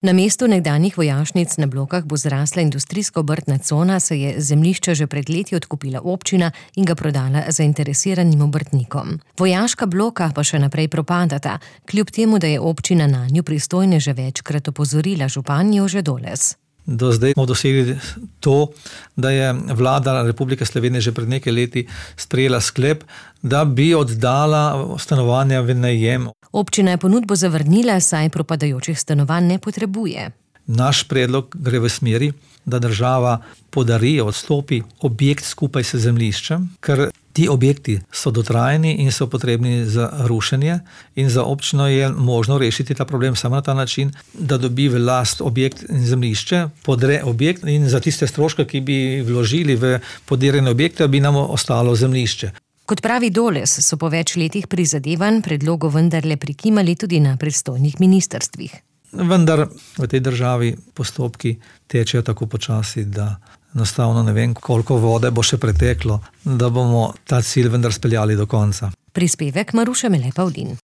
Na mestu nekdanjih vojašnic na Blokah bo zrasla industrijska obrtna cona, saj je zemljišče že pred leti odkupila občina in ga prodala zainteresiranim obrtnikom. Vojaška bloka pa še naprej propadata, kljub temu, da je občina nanju pristojne že večkrat opozorila župan Jože Doles. Do zdaj smo dosegli to, da je vlada Republike Slovenije že pred nekaj leti sprejela sklep, da bi oddala stanovanja v najem. Občina je ponudbo zavrnila, saj propadajočih stanovanj ne potrebuje. Naš predlog gre v smeri, da država podari, odstopi objekt skupaj s zemljiščem, ker ti objekti so dotrajni in so potrebni za rušenje in za občino je možno rešiti ta problem samo na ta način, da dobi v last objekt in zemljišče, podre objekt in za tiste stroške, ki bi vložili v podirjene objekte, bi nam ostalo zemljišče. Kot pravi Doles, so po več letih prizadevanj predlogu vendarle prikimali tudi na pristojnih ministrstvih. Vendar v tej državi postopki tečejo tako počasi, da enostavno ne vem, koliko vode bo še preteklo, da bomo ta cilj vendar speljali do konca. Prispevek Maruše Mele Pavlin.